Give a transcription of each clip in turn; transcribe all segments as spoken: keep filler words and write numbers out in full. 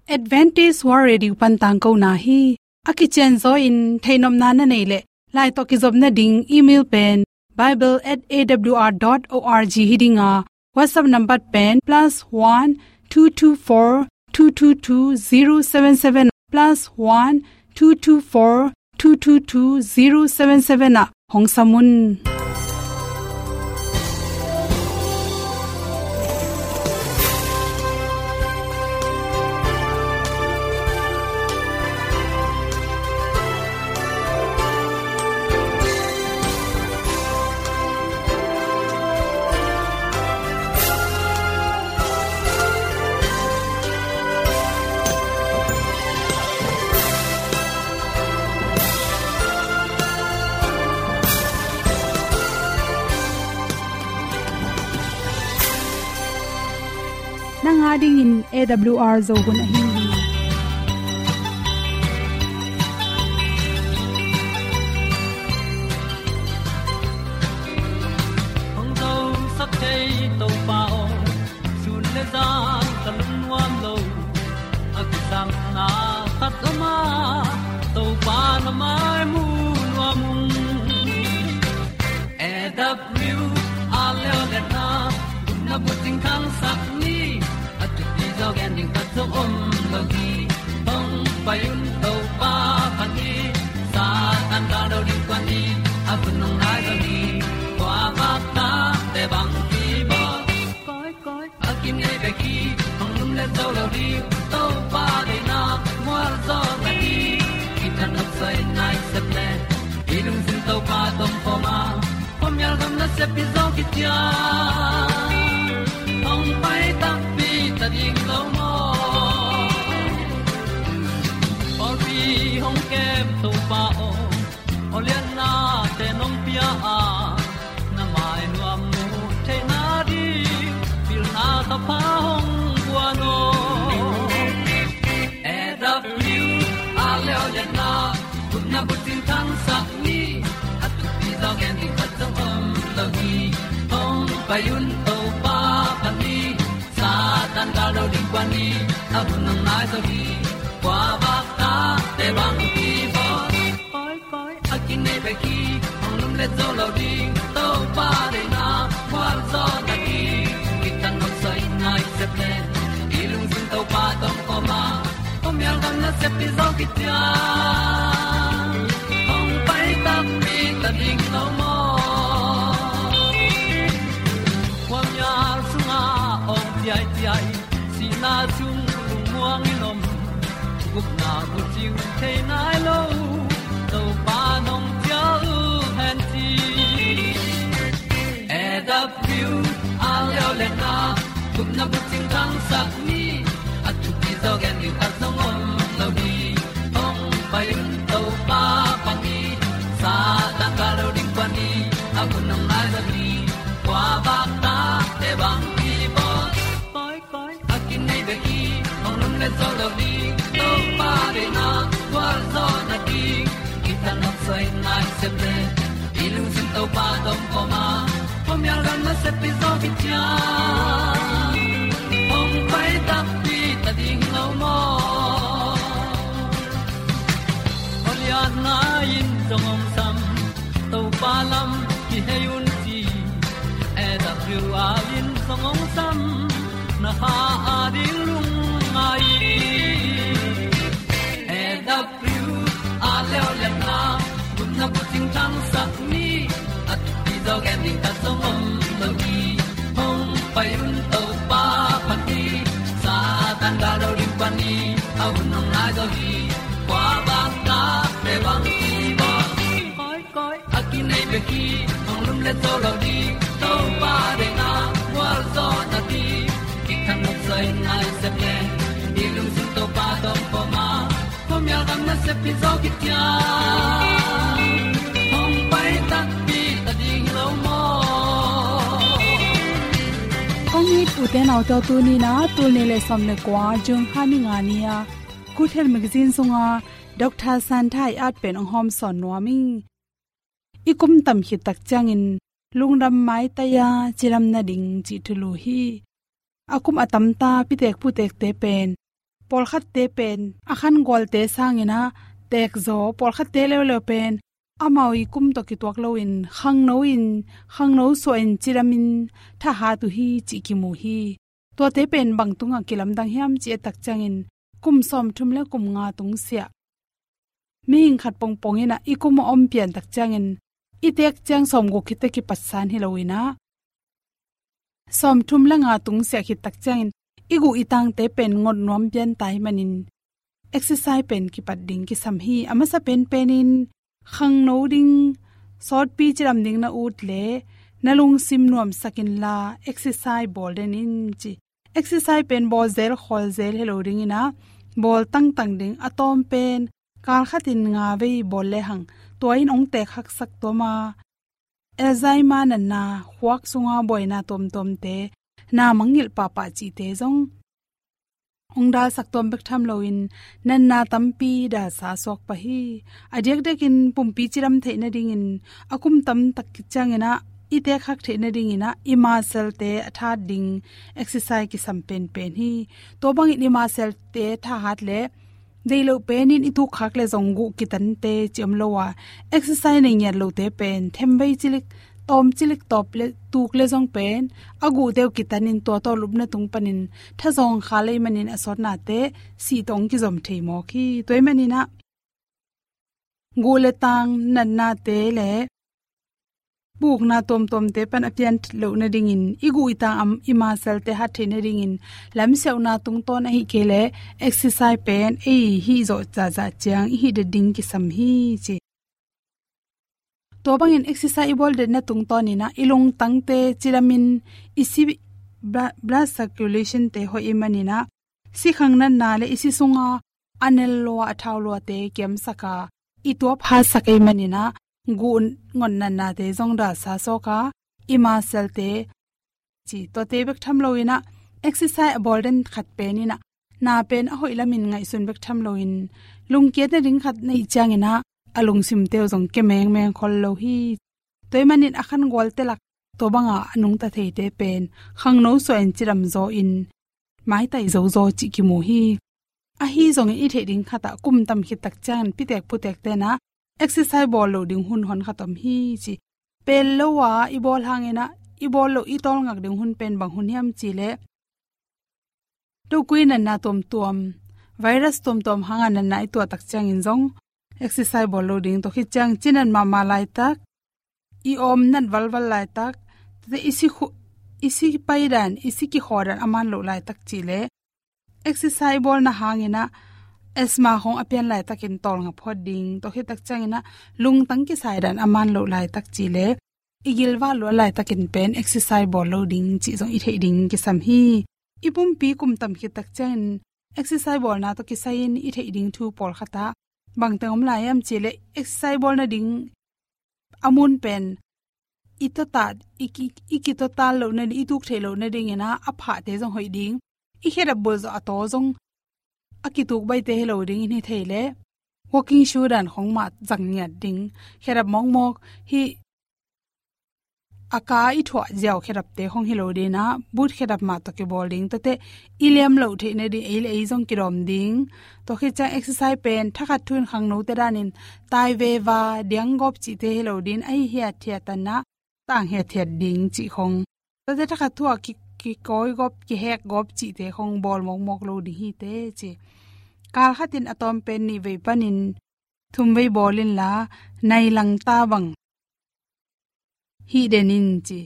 Adventist World Radio pan tangkona hi. A kicianzaw in theihnopna na neih leh, lai tawh kizopna ding email pen bible at A W R dot O R G hi ding a, WhatsApp number pen plus one two two four two two two zero seven seven, plus one two two four two two two zero seven seven ah hong sam un. Nang a dingin A W R Zo hun ahi hi. Hong zosak thei Topa aw, sun le zan ka lungnuam lo. A kisapna khat om a, Topa na mai mu nuam ung. A W R Leo le na, na bucing khangsak ni, a thupi zaw gen ding khat zong om lo hi. Hong pai un Topa phat ni, Satan ka lo ding kua ni, a hun hong nai zaw ni, kua bak ta te bang ki bawl. Koi, koi, a kinei bek hi, hong lum le zo lo ding, Topa deihna mual zaw na hi. Kitang nok soi nai sep le, i lungsim Topa tawh kawm a, khuamial gam nasep hi zaw kician. Hong pai takpi ta ding lo maw? Pawlpi hong kem Topa aw, aw liannate nong pia a, na mai nuam mu theihna ding, pilna thapha hong guan aw. A W R Leo le na, gupna bucing khangsak ni, a thupi zaw gen ding khat zong om lo hi. Hong pai un Topa phat ni, Satan ka lo ding kua ni, a hun hong nai zaw hi. Kua bak ta te bang ki bawl. Koi, koi, a kinei bek hi, hong lum le zo lo ding, Topa deihna mual zaw na hi. Kitang nok soi nai sep le, i lungsim Topa tawh kawm a, khuamial gam nasep hi zaw kician. Hong pai takpi ta ding lo maw? Khuamial sungah awng ciaiciai, sihna sung lungmuang in om, gupna bucing thei nai lo, Topa nong cial hen ci. A W R Leo le na, gupna bucing khangsak ni, a thupi zaw gen ding khat zong om lo hi. Hong pai un Topa phat ni, Satan ka lo ding kua ni, a hun hong nai zaw hi. Kua bak ta te bang ki bawl. Koi, koi, a kinei bek hi, hong lum le zo lo ding, Topa deihna mual zaw na hi. Kitang nok soi nai sep le, i lungsim Topa tawh kawm a, khuamial gam nasep hi zaw kician. Hong pai takpi ta ding lo maw? Aw lianna in zong hong sam, Topa lam kihei un ci. A W R in zong hong sam, na kha a ding lungngai. A W R Leo le na, gupna bucing khangsak ni, a thupi zaw gen ding khat zong om lo hi. Hong pai un Topa phat ni, Satan ka lo ding kua ni, a hun hong nai zaw hi. Kua bak ta te bang ki bawl. Koi, koi, a kinei bek hi, hong lum le zo lo ding, Topa deihna mual zaw na hi. Kitang nok soi nai sep le, i lungsim Topa tawh kawm a, khuamial gam nasep hi zaw kician. Hong pai takpi ta ding lo maw? Kong it u te nau te, tuni in a tul nih le sawm le kua, June kha ni nga ni a Good Health Magazine sungah Doctor Santha i at pen hong hawmsawn nuam ing. I kum tam khit tak ciangin lungdam maitai a cidam nading cih thulu hi. A kum a tamta pitek putekte pen Pawlkhatte pen a khan gualte sangin ah teekzaw, pawlkhatte leuleu pen amau i kum tawh kituak loin khangno in, khangno suahin cidamin thahat uh hi cih kimu hi. Tuate pen bang tungah kilamdang hiam cih et tak ciangin kum sawmthum le kum nga tungsiah mihing khat pongpong in ah i kum a om pian tak ciangin i teek ciang sawmguk khit teh kipatsan hi loin ah, sawmthum le nga tungsiah khit tak ciangin i guh i tangte pen ngot nuam pian ta ahih manin exercise pen kipat ding kisam hi. A masa penpenin khangno ding, sawtpi cidam ding na ut leh na lungsim nuamsak inla exercise bawl den in ci. Exercise pen bawl zel khawl zel hi lo dingin ah, bawl tangtang ding, a tawm pen kal khatin nga vei bawl lehang tua in hong teek haksak tuam a, Alzheimer natna, khuak sunga buaina tuamtuamte, na mangngilh pahpah cihte zong hong dalsak tuam bek tham loin natna tampi dalsa suak pah hi. A diakdiakin pumpi cidam theih nadingin a kum tamtak khit ciangin ah i teek hak theih nadingin ah i muscle-te a thahat ding exercise kisam penpen hi. Tua bangin i muscle-te thahat leh deih loh penin i tuk khak leh zong guh kitante ci om lo a, exercise nei ngiat lote pen themvei cilik, tawm cilik tawp leh tuk leh zong pen a guhte uh kitanin tua tawh lupna tung panin thazawng kha lei manin a sawtnate sih tawh hong kizom thei mawk hi. Tua ahih manin ah guh le tang natnate le pukna tuamtuamte pan a pian loh nadingin, i guh i tang a, i muscle-te hat theih nadingin lamsiauhna tungtawn ahih kei leh exercise pen ei hih zawh zahzah ciang i hih det ding kisam hi ci. Tua bangin exercise i bawl detna tungtawnin ah i lungtangte cidamin i si bla-, blood circulation-te hoih ahih manin ah sikhang natna le i si sunga a nel lua, a thau luate kiamsak a, i tuap hatsak ahih manin ah guh ngot natnate zong dalsa suak a, i muscle-te ci. Tuate bek tham loin ah exercise a bawl den khat penin ah na pen a hoih lamin ngaihsun bek tham loin lungkiat nading khat na hih ciangin ah a lungsimte uh zong kia mengmeng khol lo hi. Tua ahih manin a khan gualte lak tua banga a nungta theite pen khangno suahin cidam zawin maitai zozaw cih kimu hi. Ahi zongin i theih ding khat ah kum tam khit tak ciangin pitek putekte'n ah exercise bawl loh ding hun honkhat om hi ci. Pel lo a i bawl hangin ah i bawl loh i tawlngak ding hun pen bang hun hiam cih leh, dokui natna tuamtuam, virus tuamtuam hanga natna i tuah tak ciangin zong exercise bawl lo ding, tua khit ciang cinat mahmah laitak, i awm nat valval laitak, tate i si khu-, i si paidan, i si kikhaw dan a man loh laitak cih leh exercise bawlna hangin ah asthma khawng a pian laitakin tawlnga phawt ding, tua khit tak ciangin ah lungtang kisai dan a man loh laitak cih leh i gilvah luat laitakin pen exercise bawl lo ding cih zong i theih ding kisam hi. I pumpi kum tam khit tak ciangin exercise bawlna tawh kisai-in i theih ding thu pawlkhat ah bangteng om lai hiam cih leh exercise bawlna ding a mun pen i tawtat, i ki, i kitawtat loh nading, i tuk theih loh nadingin ah a phahte zong hoih ding, i khedap bulh zawh a taw zong a kituk baihte hi lo dingin hi thei leh walking shoe dan khawng mah zang ngiat ding, khedap mawkmawk hi, a ka i thuah ziau khedapte khawng hi lo dingin ah boot khedap mah tawh kibawl ding, tuate i liam loh theih nading ei le ei zong kidawm ding. Tua khit ciang exercise pen thakhat thu-in khangnote danin tai veva, diang gawp cihte hi lo dingin, ahi hiathiat tanah tang hiathiat ding cih khawng, tuate thakhat thu-a ki, kikawi gawp, kihek gawp cihte khawng bawl mawkmawk lo ding hi teh ci. Kal khatin a tawm pen nih vei panin thum vei bawl inla, nai langta bang hih den in ci.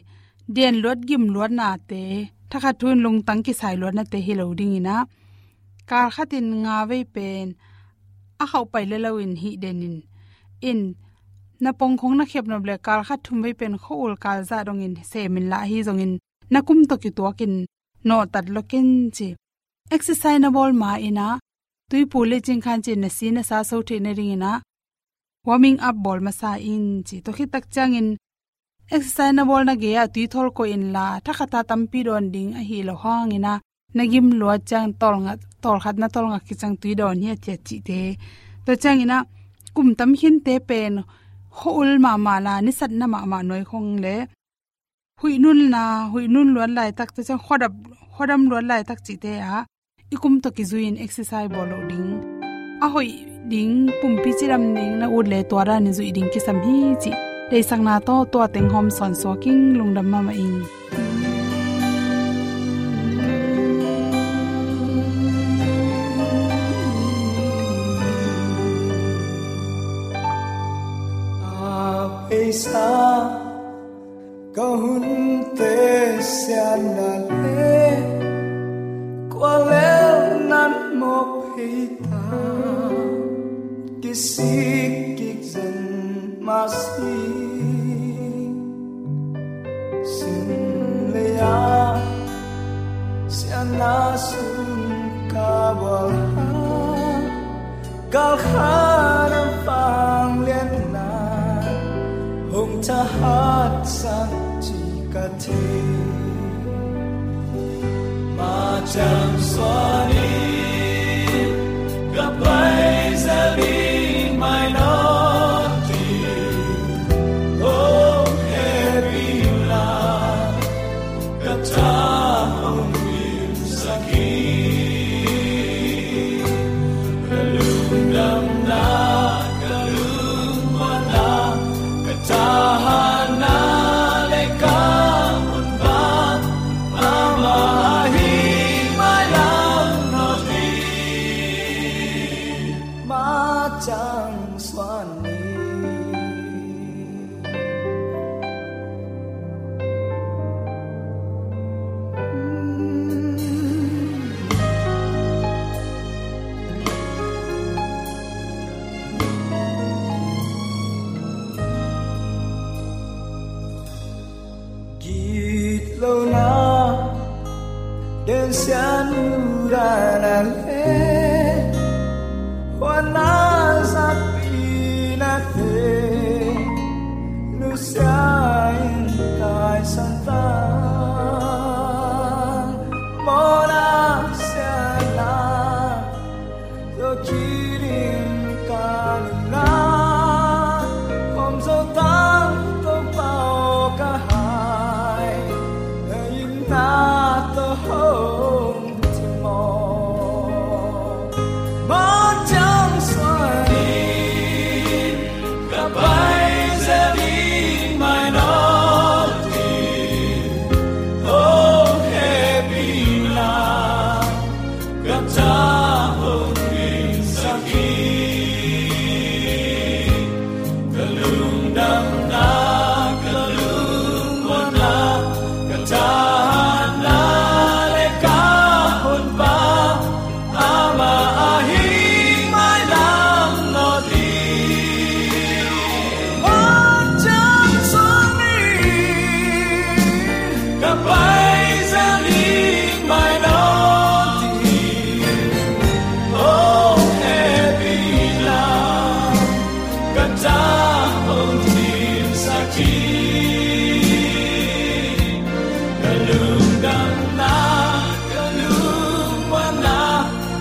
Den luat gim luatnate, thakhat thu-in lungtang kisai luatnate hi lo dingin ah, kal khatin nga vei pen a khauh pai le loin hih den in. In, na pong khawng na khiap nop leh kal khat thum vei pen khua-ul kal zah dongin sem inla, ahi zongin na kum tawh kituakin nawhtat lua ken ci. Exercise na bawl ma-in ah tuipu le cingkhan cin na si na sa so theih nadingin ah warming up bawl masa in ci. Tua khit tak ciangin exercise na bawlna gei-ah tui thawl koih inla, thakhat a tampi dawn ding ahi lo hangin ah na gim luat ciang tawlnga, tawlkhat na tawlnga kiciang tui dawn hiathiat cihte. Tua ciangin ah kum tam khinte pen khua-ul mahmah la, nisatna mahmah nuai khawng le huih nunna, huih nun luat laitak, tua ciang khuadap, khuadam luat laitak cihte ah i kum tawh kizui-in exercise bawl loh ding, a hoih ding, pumpi cidam ding na ut le tua danin zuih ding kisam hi cih deihsakna tawh tua teng hawm sawnsuak ing. Lungdam mahmah ing. A peisa ka hunte siatna le kua lel nan mawk phei ta, kisik kik zen mah si. Sim lei-a siatna sung ka bual a, galkhan a vangliatna hong thahatsak ci ka thei. Mah ciang suan in ka pai zel ding mai nawn ding, hong hehpih la ka tha hong dimsak hi. Ka lungdamna, ka lungmuanna, ka thahatna le ka honpa, amah ahi mailam nawn ding. Mah ciang suan ni. Gitlohna, densiatna le huatna, zapihnate, nusia-in taisan tang, mawhna, siatna, zo kik ding ka nunna, hawm zo tang Topa aw ka hai, na itna tawh hong cim aw. Mah ciang suan in ka pai zel ding mai nawn ding, hong hehpih la ka tha hong dimsak hi. Ka lungdamna, ka lungmuanna, ka thahatna le ka honpa, amah ahi mailam nawn ding. Mah ciang suan in ka pai zel ding mai nawn ding, hong hehpih la ka tha hong dimsak hi. Ka lungdamna, ka lungmuanna,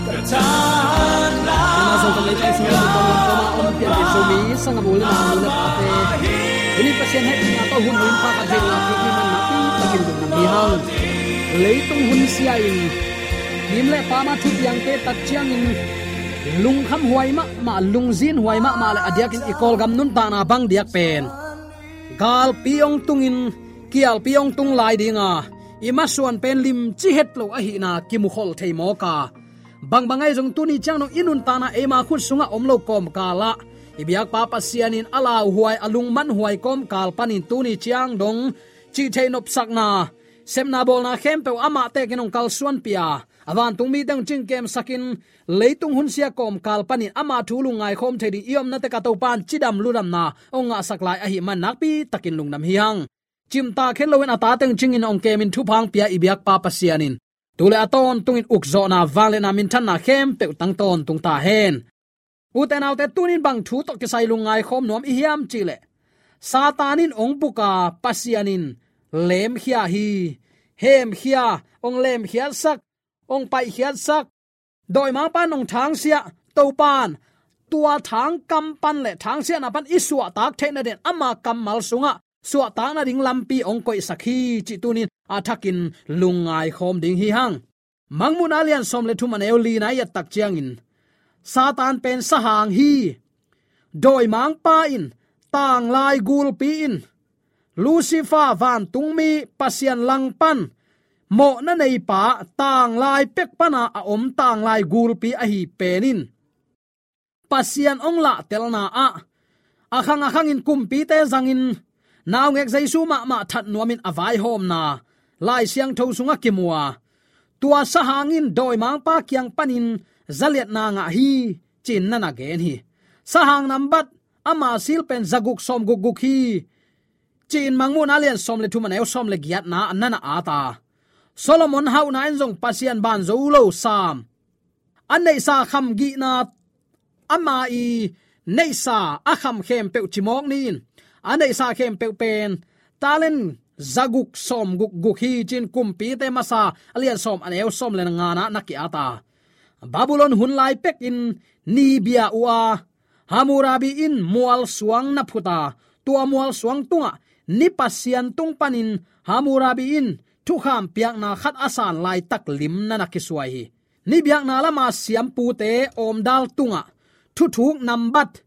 ka thahatna. Amah zong ka leitung sung a tawng lam kawma om pian Zomi sanggamnu le naunu le pate, tuni Pasian hehpihna tawh hun nuam khat theihna thupi man nakpi takin lungdam hi hang. Leitung hun sia-in, mim le pam a thupiangte tak ciangin lungkham huai mahmah, lungzin huai mahmah le a diakin i Kawlgam nuntakna bang diak pen galpi hong tungin, kialpi hong tung lai dinga, i masuan pen limci het lo ahihna kimukhol thei mawk a, bangbang ahi zong tuni ciang dong i nuntakna eima khut sungah om lo kawmkalah, i biakpa Pasian in a lauhuai, a lungmanhuai kawmkal panin tuni ciang dong cihtheih nopsakna, sepna bawlna khempeuh amah tekin hong kalsuanpih a, a vantung mite hong cingkemsakin, leitung hun sia kawmkal panin amah thu lungngai khawm thei ding i omnate ka Topa in cidam ludamna hong ngahsak lai ahih man nakpi takin lungdam hi hang. Cimtak het loin a tate hong cingin hong kemin thupha hong pia i biakpa Pasian in tu le a tawntungin ukzawhna, vangliatna, minthanna khempeuh tang tawntung ta hen. Ute naute, tunin bang thu tawh kisai lungngai khawm nuam i hiam cihleh, Satan in hong buk a, Pasian in lemkhia hi. Hemkhia, hong lemkhiatsak, hong paihkhiatsak, dawimangpa in hong thangsiah, Topa in tua thangkam pan le thangsiahna pan i suahtak theihna dingin ama kammal sungah suahtak nading lampi hong koihsak hi cih tunin a thakin lungngai khawm ding hi hang. Mangmuhna lian sawm le thum a neu li na i et tak ciangin, Satan pen sahang hi. Dawimangpa in, tanglai gulpi in, Lucifer vantungmi, Pasian langpan mawhna neipa, tanglai pek pana a om tanglai gulpi ahi pen in, Pasian hong lahtelna ah a khang a khangin kumpite zangin naungek Jesu mahmah that nuamin a vaihawmna Lai Siangtho sungah kimu a, tua sahang in dawimangpa kiang panin zaliatna ngah hi, ci-in na na gen hi. Sahang nambat ama sil pen zaguk sawmguk guk hi, ci-in Mangmuhna lian sawm le thum a neu sawm le giatna na na at a. Solomon hauhna in zong Pasian ban zo lo sam, a neihsa kham gihna, ama i neihsa a kham khempeuh cimawk ni in, a neihsa khempeuh pen talent zaguk sawmguk guk hi, ci-in Kumpite Masa a lian sawm a neu sawm le ngana na ki-at a. Babylon hun lai pekin ni bia uh a, Hammurabi in mualsuang na phut a, tua mualsuang tungah ni Pasian tung panin Hammurabi in thukham piakna khat a san laitak lim na na kisuai hi. Ni biakna lama siampute awmdal tungah thuthuk nambat,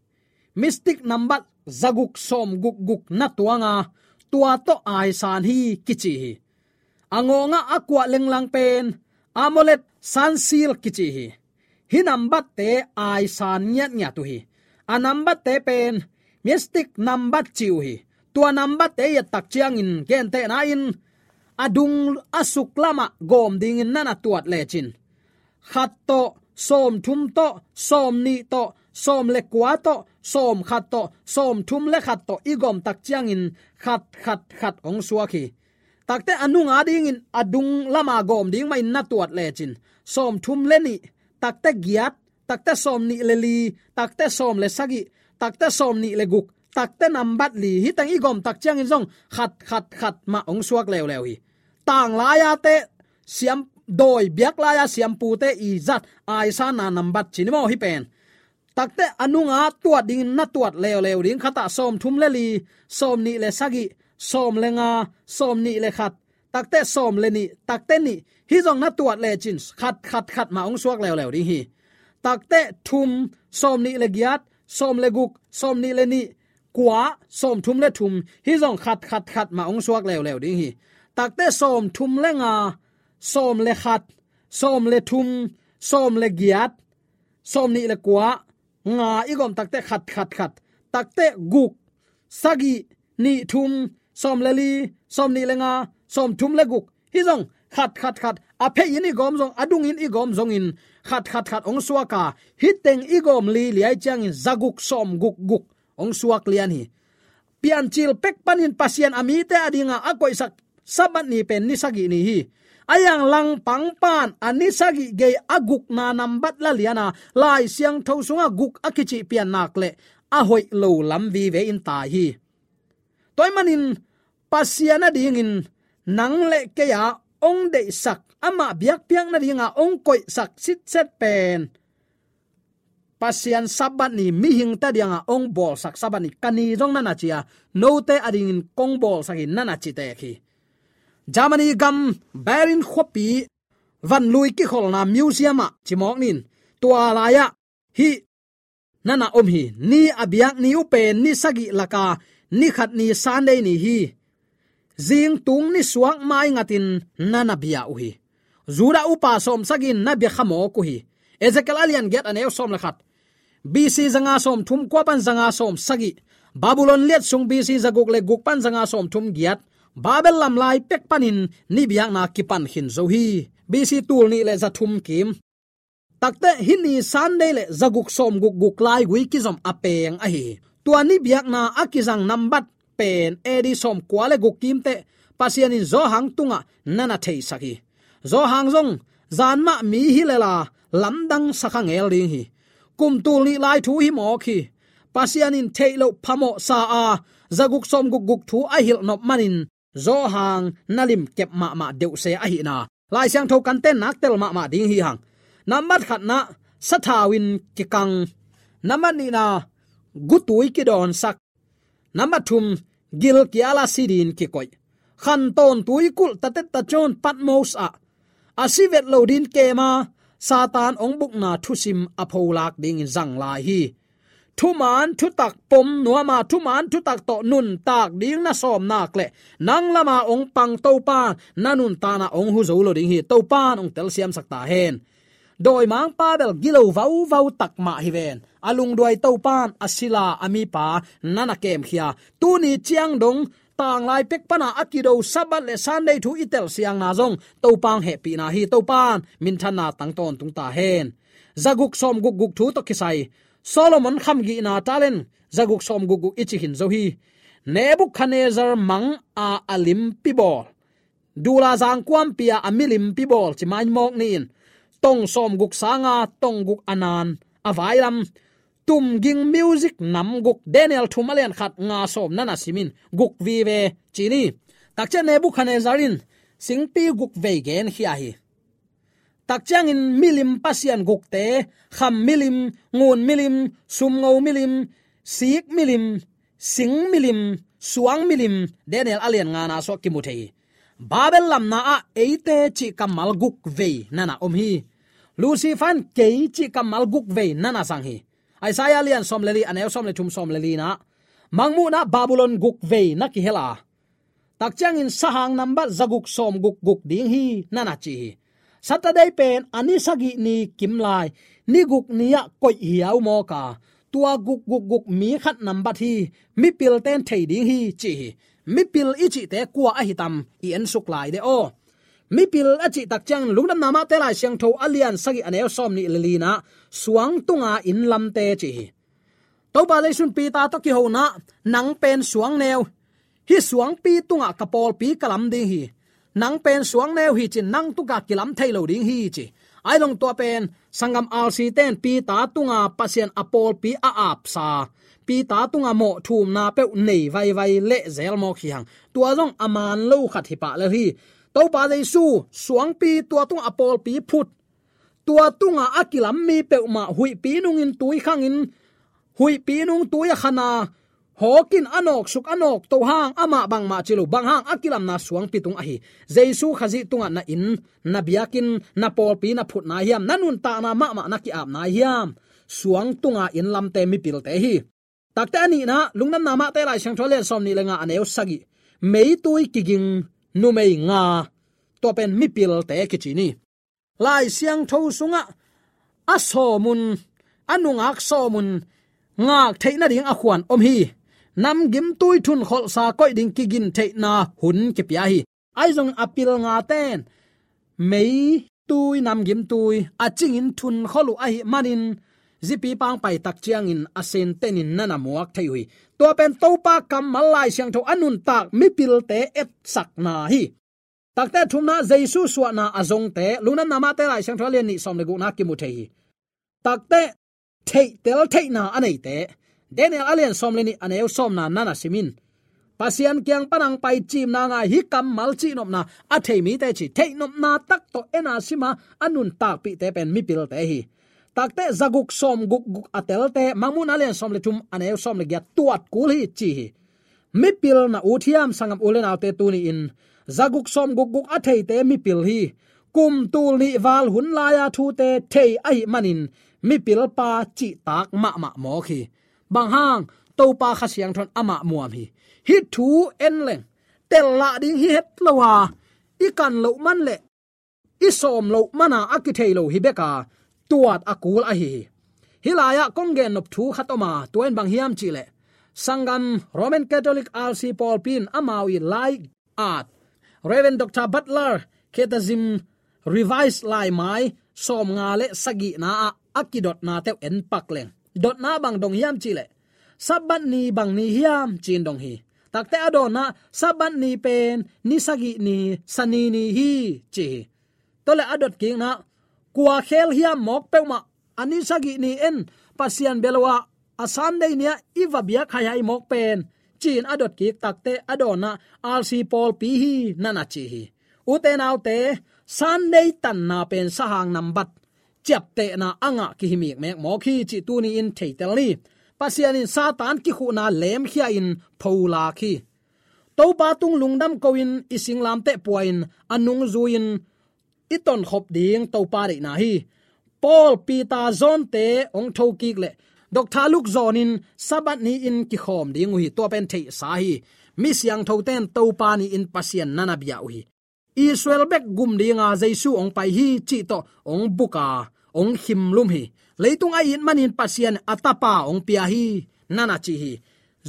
mystic nambat zaguk sawmguk guk na tuang a, tua tawh aisan hi kici hi. A ngawngah a kuah lenglang pen Amulet sansil kici hi. Hih nambatte aisan ngiatngiat uh hi. A nambatte pen mystic nambat ci uh hi. Tua nambatte i et tak ciangin gentehna in a dung a suk lamah gawm dingin na na tuat lecin, khat tawh, sawmthum tawh, sawmnih tawh, sawm le kua tawh, sawmkhat tawh, sawmthum le khat tawh i gawm tak ciangin khat, khat, khat hong suak hi. Takte a nunga dingin a dung lama gawm ding mahin na tuat lecin, sawmthum le nih, takte giat, takte sawmnih le li, takte sawm le sagih, takte sawmnih le guk, takte nambat li, hih teng i gawm tak ciangin zong khat, khat, khat mah hong suak leuleu hi. Tanglai-a te siam, dawi biaklai-a siampute i zat aisanna nambat ci ni maw hih pen. Takte a nunga tuat dingin na tuat leuleu ding, khatah sawmthum le li, sawmnih le sagih, sawm le nga, sawmnih le khat, takte sawm le nih, takte nih, hih zong na tuat lecin khat, khat, khat mah hong suak leuleu ding hi. Takte thum, sawmnih le giat, sawm le guk, sawmnih le nih, kua, sawmthum le thum, hih zong khat, khat, khat mah hong suak leuleu ding hi. Takte sawmthum le nga, sawm le khat, sawm le thum, sawm le giat, sawmnih le kua, nga i gawm takte khat, khat, khat, takte guk, sagih, nih, thum, sawm le li, sawmnih le nga, sawmthum le guk, hih zong khat, khat, khat, a phei in i gawm zong, a dung in i gawm zongin khat, khat, khat hong suak a, hih teng i gawm li liai ciangin zaguk sawmguk guk hong suak lian hi. Piancil pek panin Pasian a mite a dinga a koihsak Sabbath ni pen ni sagih ni hi. A yang langpang pan a ni sagih gei a gukna nambat la lian a, Lai Siangtho sungah guk a kicih pian nak leh a hoih lo lam vive in tai hi. Tua ahih manin Pasian a dingin nang le kei a hong deihsak, amah biakpiakna dinga hong koihsak sitset pen Pasian Sabbath ni, mihingte a dinga hong bawlsak Sabbath ni, ka ni zong na na ci a, note a dingin kong bawlsak hi na na ci tek hi. Germany gam Berlin khuapi vanlui kikholna museum ah cimawk ni in, tua lai-ah hih na na om hi. Ni a biak ni uh pen ni sagih laka ni khat ni Sunday ni hi. Zingtung ni suak maingatin na na bia uh hi. Judah upa sawmsagih in na bia khamawk uh hi. Ezekiel a lian giat a neu sawm le khat. B C zanga sawmthum kua pan zanga sawmsagih. Babylon liat sung B C zaguk le guk pan zanga sawmthum giat. Babel lam lai pek panin ni biakna kipan khin zo hi. B C tul nih le zathum kim. Takte hih ni Sunday le zaguk sawmguk guk laigui kizom a peng ahi hi. Tua ni biakna a kizang nambat pen A D sawmkua le guk kimteh Pasian in Johan tungah na na theisak hi. Johan zong zan mah mi hi lela lamdang sa kha ngel ding hi. Kum tul nih lai thu hi mawk hi. Pasian in theih loh phamawh sa a, zaguk sawmguk guk thu a hilh nop manin Johan na limkep mahmah deuhse ahihna Lai Siangtho kan tennak tel mahmah ding hi hang. Nambat khatna sathau in kikang. Nambat nihna gutui kidawnsak. Nambat thum gilkial a sidin kikoih. Khantawn tuikulh tatet tacawn Patmos ah a si vet lo ding kema, Satan hong bukna thusim a pholak dingin zang lai hi. Thuman thutak pom nuama, thuman thutak tawh nuntak ding na sawm nak leh, nang lama hong pang Topan na nuntakna hong hu zo lo ding hi. Topan hong telsiamsak ta hen. Dawimangpa bel gilo vauvau tak mah hi ven. A lungduai Topan a sila a mipa na na kemkhia. Tuni ciang dong tanglai pek pana a kido Sabbath le Sunday thu i telsiangna zong Topan hehpihna hi. Topan minthanna tang tawntung ta hen. Zaguk sawmguk guk thu tawh kisai Solomon khamgihna talent zaguk sawmguk guk i ci khin zo hi. Nebukhadnezzar mang a a limpi bawl, dula zangkuampi a a milimpi bawl ci mai mawk ni in, tong sawmguk sanga tong guk a nan a vailam, tumging music nam guk, Daniel thum a lian khat nga sawm na na sim in, guk vive ci ni. Takciang Nebukhadnezzar in singpi guk vei genkhia hi. Takciangin milim pasian gukte, kham milim, ngun milim, sumngo milim, sik milim, sing milim, suang milim, Daniel a lian ngana sawh kimu thei hi. Babel lamna ah eite cih kammal guk vei na na om hi. Lucifer in kei cih kammal guk vei na na zang hi. Isaiah lian sawm le li, a neu sawm le thum, sawm le li na, Mangmuhna Babylon guk vei na kihel a, takciangin sahang nambat zaguk sawmguk guk ding hi na na ci hi. Saturday pen a ni sagih ni kimlai, ni guk ni ah koih hiau mawk a, tua guk guk guk mi khat nambat hi, mipilte in thei ding hi ci hi. Mipil i cihte kua ahi tam i ensuk lai de aw. Mipil a cih takciangin Lungdamna Mate Lai Siangtho a lian sagih, a neu sawm nih le li na, suang tunga inn lamte ci hi. Topa Jesu in Peter tawh kihona, nang pen suang neu, hih suangpi tungah ka pawlpi ka lam ding hi. Nang pen suang neu hi cin, nang tungah kilam thei lo ding hi ci. Ahi zong tua pen sanggam R C te in Peter tunga Pasian a pawlpi a apsa, Peter tunga mawh thumna peuh nei vaivai lehzel mawk hi hang. Tua zong a man lo khat hi pah lel hi. Topa Jesu suangpi tua tungah a pawlpi phut, tua tungah a kilam mi peuhmah huihpi nungin tui khangin, huihpi nung tui a khana, hawkin a nawksuk a nawkto hang, amah bangmah ci lo, bang hang a kilamna suangpi tung ahi. Jesu Khazih tungah na inn, na biakinn, na pawlpi na phut nai hiam, na nuntakna mahmah na ki-ap nai hiam? Suang tunga inn lamte mipilte hi. Takte a nihna, Lungdamna Mate Lai Siangtho a lian sawm nih le nga, a neu sagih, meitui kiging numei nga, tua pen mipilte kici ni. Lai Siangtho sungah a sawmun, a nungak sawmun ngak theih nading a khuan om hi. Namgimtui thunkholhsa koih ding kigin theihna hun kipia hi. Ahi zong a pil ngate in meitui namgimtui a cingin thunkholh uh ahih manin, zipi pangpai takciangin a sentenin na na muak thei uh hi. Tua pen Topa kammal Lai Siangtho a nuntak mipilte etsakna hi. Takte thumna, Jesu suahna a zongte, Lungdamna Mate Lai Siangtho a lian nih sawm le gukna kimu thei hi. Takte theihtel theihna a neite, Daniel a lian sawm le nih, a neu sawmna na na sim in, Pasian kiang pan hong pai cimna ngai, hih kammal cihnopna a thei mite ci, theihnopna tak tawh en a sim a, a nuntakpihte pen mipilte hi. Takte zaguk sawmguk guk a telte, Mangmuhna a lian sawm le thum, a neu sawm le giat, tuat kul hi ci hi. Mipil na ut hiam, sanggam u le naute, tuni-in zaguk sawmguk guk a theite mipil hi. Kum tul nih val hun lai-a thute thei ahih manin mipilpa cihtak mahmah mawk hi. Bang hang? Topa Kha Siangtho in amah muam hi. Hih thu en leng, tel lah ding hi het lo a, i kan loh man leh i sawm loh mana a kithei lo hi bek a, tuat a kul ahi hi. Hih lai-ah kong gennop thu khat om a, tua in bang hiam cihleh, sanggam Roman Catholic R C pawlpi in amau i lai at, Reverend Doctor Butler Catechism Revised laimai sawmnga le sagihna ah a kidotna teuh en pak leng, dotna bang dong hiam cihleh, Sabbath ni bang ni hiam ci-in dong hi. Takte a dawnna, Sabbath ni pen ni sagih ni, Sani ni hi ci hi. Tua le a dot kikna, kua khel hiam mawk peuhmah a ni sagih ni en, Pasian bia lo ah a Sunday ni-ah i va biak haihai mawk pen ci-in a dot kik. Takte a dawnna, R C pawlpi hi na na ci hi. Ute naute, Sunday tanna pen sahang nambat ciaptehna a ngah kihi mikmek mawk hi cih tuni-in theitel ni. Pasian in Satan kikhuhna lemkhia-in pholak hi. Topa tung lungdam ko-in i singlamteh pua-in a nungzui-in i tonkhop ding Topa deihna hi. Paul, Peter, John-te hong thokik leh Doctor Luke John in Sabbath ni-in kikhawm ding uh hi. Tua pen theihsa hi. Mi siangthote'n Topa ni-in Pasian na na bia uh hi. Israel bek gum dinga Jesu hong pai hi cih tawh hong buk a, hong khimlum hi. Leitung a it manin Pasian a Tapa hong pia hi, na na ci hi.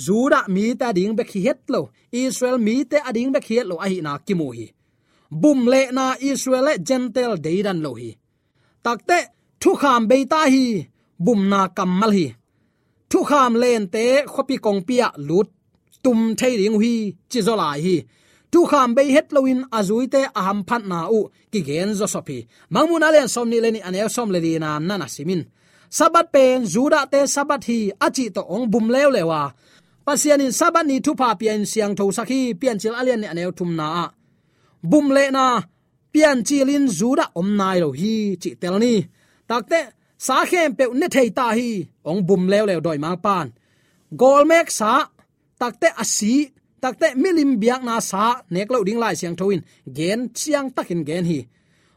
Judah mite ading bek hi het lo, Israel mite ading bek hi het lo ahihna kimu hi. Bum lehna Israel le Gentile deidan lo hi. Takteh, thukham bei ta hi, bumna kammal hi. Thukham lente khuapi kongpi ah lut tum thei ding uh hi, ci zaw lai hi. Thukham bei het loin a zuite a hamphatna uh kigen zawsop hi. Mangmuhna lian sawmnih le nih, a neu sawm le lina na na sim in. Sabbath pen Judah-te Sabbath hi a cih tawh hong bum leuleu a, Pasian in Sabbath ni thupha pia-in siangthosak hi, Piancil a lian nih, a neu thumna ah. Bum lehna, Piancil in Judah om nai lo hi, cih tel ni. Takteh, sa khempeuh ne thei ta hi, hong bum leuleu dawimangpa'n. Gawlmek sa, takteh a si, takteh milim biakna sa nek loh ding Lai Siangtho in gen, siangtakin gen hi.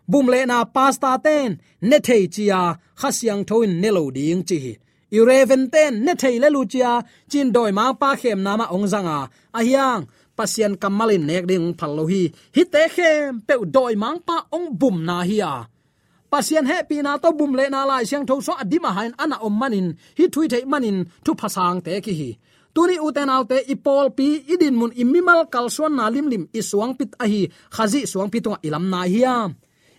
Bum lehna, pastor-te'n ne thei ci a, Kha Siangtho in ne lo ding ci hi. I reverend-te'n ne thei le lo ci a, ci-in dawimangpa khemna mah hong zang a, ahi hang Pasian kammal in nek ding hong phal lo hi. Hihte khempeuh dawimangpa hong bumna hi a, Pasian hehpihna tawh bum lehna Lai Siangtho sungah a dim a ha-in a na om manin, hih thu i theih manin thupha sangte kihi hi. Tuni, ute naute, i pawlpi, i dinmun, i mimal kalsuanna limlim, i suangpi ahi Khazih suangpi tungah i lam nai hiam?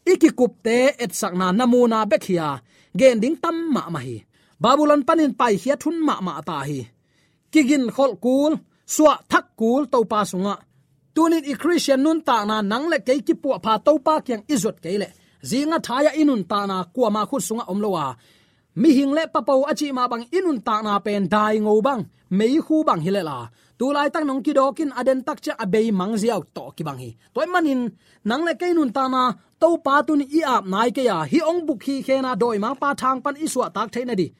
I kikupte etsakna namuna bek hi a, gen ding tam mahmah hi. Babylon panin paikhiat hun mahmah ta hi. Kiginkholh kul, suahthak kul Topa sungah. Tunin i Khristian nuntakna, nang le kei kipuahpha Topa kiang i zuat kei leh, zing a thai-ah i nuntakna kuama khut sungah om lo a, mihing le papo a cih mah bang i nuntakna pen daingo bang, meikhu bang hi lel a, tu laitak nong kidawkin a den tak ciang a beimang ziau tawh kibang hi. Tua ahih manin nang le kei nuntakna Topa tuni i ap nai kei a, hih hong buk hi khena dawimangpa thang pan i suahtak theih nading,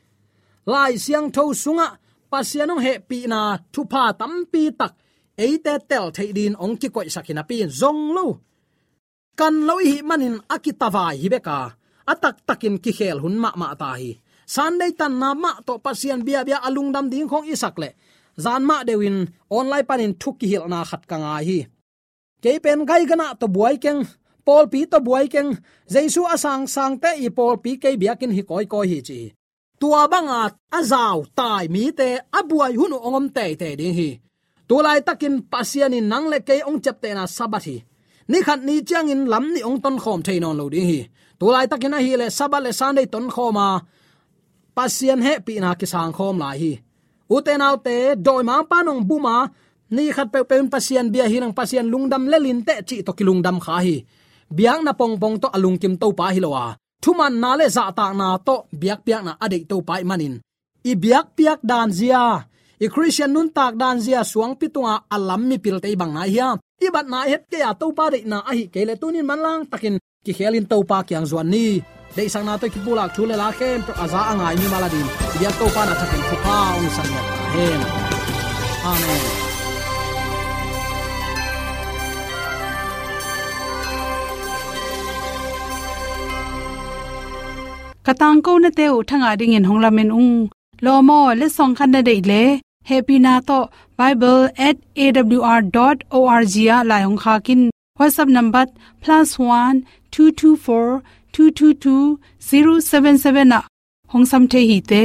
Lai Siangtho sungah Pasian hong hehpihna thupha tampi tak eite tel theih dingin hong kikoihsak hi napi-in, zong lo, kan lo i hih manin a kitavai hi bek a, a taktakin kikhel hun mahmah ta hi. Sunday tanna mah tawh Pasian biabia a lungdam ding khawng i sak leh, zan mah deuhin online panin thu kihilhna khat ka ngai hi. Kei pen Gaiganah tawh buai keng, pawlpi tawh buai keng, Jesu a sangsangte i pawlpi kei biakinn hi kawikawi hi, ci hi. Tua banga a zau tai mite a buai hun uh hong om teitei ding hi. Tu laitakin Pasian in nang le kei hong ciaptehna Sabbath hi. Ni khat ni ciangin lam nih hong tonkhawm thei nawn lo ding hi. Tu laitakin ahih leh Sabbath le Sunday tonkhawm a, Pasian hehpihna kisangkhawm lai hi. Ute naute, dawimangpa nong bum a, ni khat peuhpeuh in Pasian bia hi nang, Pasian lungdam lel inteh cih tawh kilungdam kha hi. Biakna pongpong tawh a lungkim Topa hi lo a, thumanna le zahtakna tawh biakpiakna a deih Topa ahih manin, i biakpiak dan zia, i Khristian nuntak dan zia suangpi tunga a lam mipilte i bang nai hiam? I batna het kei a, Topa deihna ahih kei leh tunin manlang takin kikhelin Topa kiang zuan ni. Deihsakna tawh i kipulak thu le la khempeuh a za a ngai mimal adingin i biak Topa in a thakin thupha hong sangiat ta hen. Amen. Ka tangkonate uh thangah dingin hong lamen ung. Lawm aw, letsong khat na deih leh, hehpihna tawh bible at A W R dot O R G ah lai hong khak in. WhatsApp number plus one two two four two two two zero seven seven ah hong sam thei hi te.